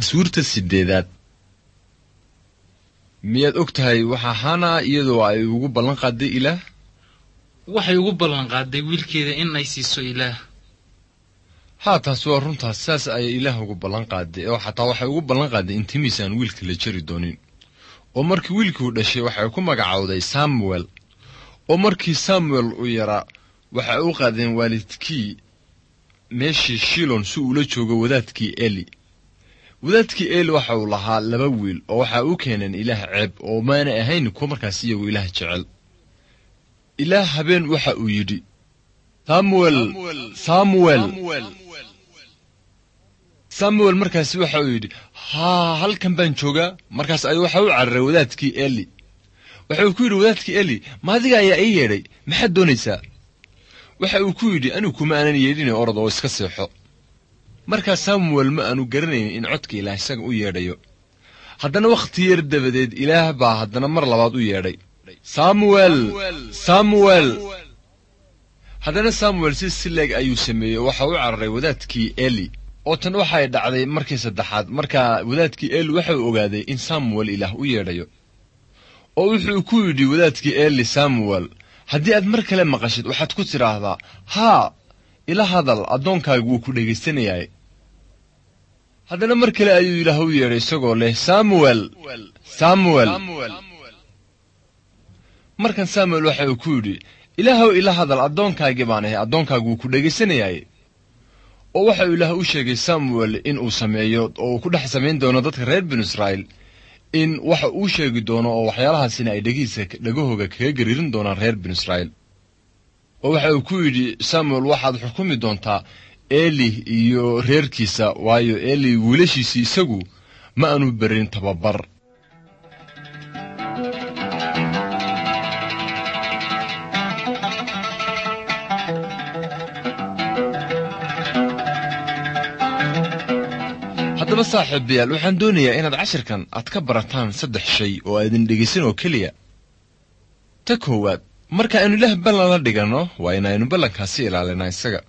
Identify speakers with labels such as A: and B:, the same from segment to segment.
A: Taswiirta sideedaad. Miyaad og tahay waxa Hana iyadoo ay ugu ballan qaaday Ilaah?
B: Waxay ugu ballan qaaday wiilkeeda in ay siiso Ilaah.
A: Haa, taasi waa runtaas. Saas ayay Ilaah ugu ballan qaaday, oo xataa waxay ugu ballan qaaday in timiisa aan wiilka la jari doonin. Oo markii wiilkii uu dhashay waxay ku magacowday Samuel. Oo markii Samuel uu yaraa waxay u qaadeen waalidkii meeshii Shilon si uula joogo wadaadkii Eli. Wadaadkii Eli waxa uu lahaa laba wiil oo waxa u keeneen Ilaah ceeb, oo maana ahayn kuwa markaas iyagu Ilaah jecel. Ilaah habeen waxa uu yidhi, "Samuel, Samuel." Samuel markaasi waxa uu yidhi, "Haa, halkan baan joogaa." Markaas ayuu waxa u cararay wadaadkii Eli. Waxa uu ku yidhi wadaadkii Eli, "Ma adiga ayaa ii yeedhay? Maxaad doonaysaa?" Waxa uu ku yidhi, "Anigu kuma aanan yeedhin, orod oo iska seexo." Markaa Samuel ma aanu garanayn in codka Ilaah isaga u yeedhayo. Haddana wakhti yar dabadeed Ilaah baa haddana mar labaad u yeedhay, "Samuel, Samuel." Haddana Samuel si sileeg ayuu sameeyey, waxa u cararay wadaadkii Eli. Oo tan waxay dhacday markii saddexaad. Markaa wadaadkii Eli waxa uu ogaaday in Samuel Ilaah u yeedhayo. Oo wuxuu ku yidhi wadaadkii Eli Samuel, "Haddii aad mar kale maqashid waxaad ku tidhaahdaa, 'Haa, ila hadal, addoonkaagu wuu ku dhegaysanayay.'" Haddana mar kale ayuu Ilaah u yeedhay isagoo leh, "Samuel, Samuel." Markan Samuel waxa uu ku yidhi, "Ilaahow, ila hadal, addoonkaagii baan ahay, addoonkaagu wuu ku dhegaysanayay." Oo waxa uu Ilaah u sheegay Samuel in uu sameeyo oo uu ku dhex samayn doono dadka reer binu Israa'iil, in waxa uu sheegi doono oo waxyaalahaasina ay dhegihiisa dhegahooga kaga gariirin doonaan reer binu Israa'iil. Oo waxa uu ku yidhi Samuel, "Waxaad xukumi doontaa Eli iyo reerkiisa, waayo Eli wiilashiisii isagu ma aanu berin tababar." Haddaba saaxiibayaal, waxaan doonayaa inaad cashirkan aad ka barataan saddex shay oo aadin dhegaysan oo keliya. Ta koowaad, marka aynu Ilaah ballan la dhiganno, waa inaynu ballankaasi ilaalinaa isaga.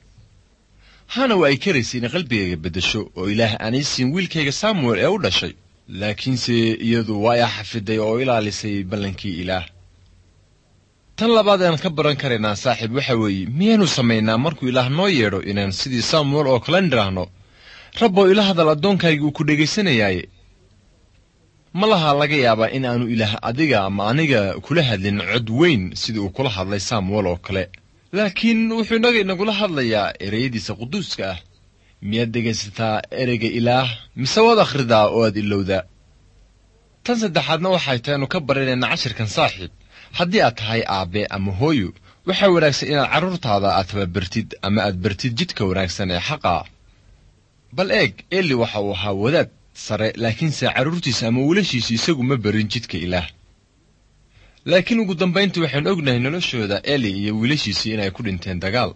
A: Hana waa ay karaysay inay qalbigayga beddesho oo Ilaah aanay siin wiilkayga Samuel ee u dhashay, laakiinse iyadu waa ay xafiday oo ilaalisay ballankii Ilaah. Tan labaad aan ka baran karaynaa saaxiib waxa weeye, miyaanu samaynaa markuu Ilaah noo yeedho inaan sidii Samuel oo kale nidhaahno, "Rabbow, ila hadal, addoonkayga uu ku dhegaysanayaaye"? Ma laha laga yaabaa in aanu Ilaah adiga ama aniga kula hadlin cod weyn sidii uu kula hadlay Samuel oo kale, laakiin wuxuu inaga inagula hadlayaa ereyadiisa quduuska ah. Miyaad dhegaysataa ereyga Ilaah, mise waad akhridaa oo aad ilowdaa? Tan saddexaadna waxay tahay anu ka baranayna cashirkan saaxiib, haddii aad tahay aabbe ama hooyo, waxaa wanaagsan inaad carruurtaada aad tababartid ama aad bartid jidka wanaagsan ee xaqa ah. Bal eeg, Eli waxa uu ahaa wadaad sare, laakiinse carruurtiisa ama wiilashiisa isagu ma barin jidka Ilaah. Laakiin ugu dambayntii waxaan ognahay noloshooda Eli iyo wiilashiisii inay ku dhinteen dagaal.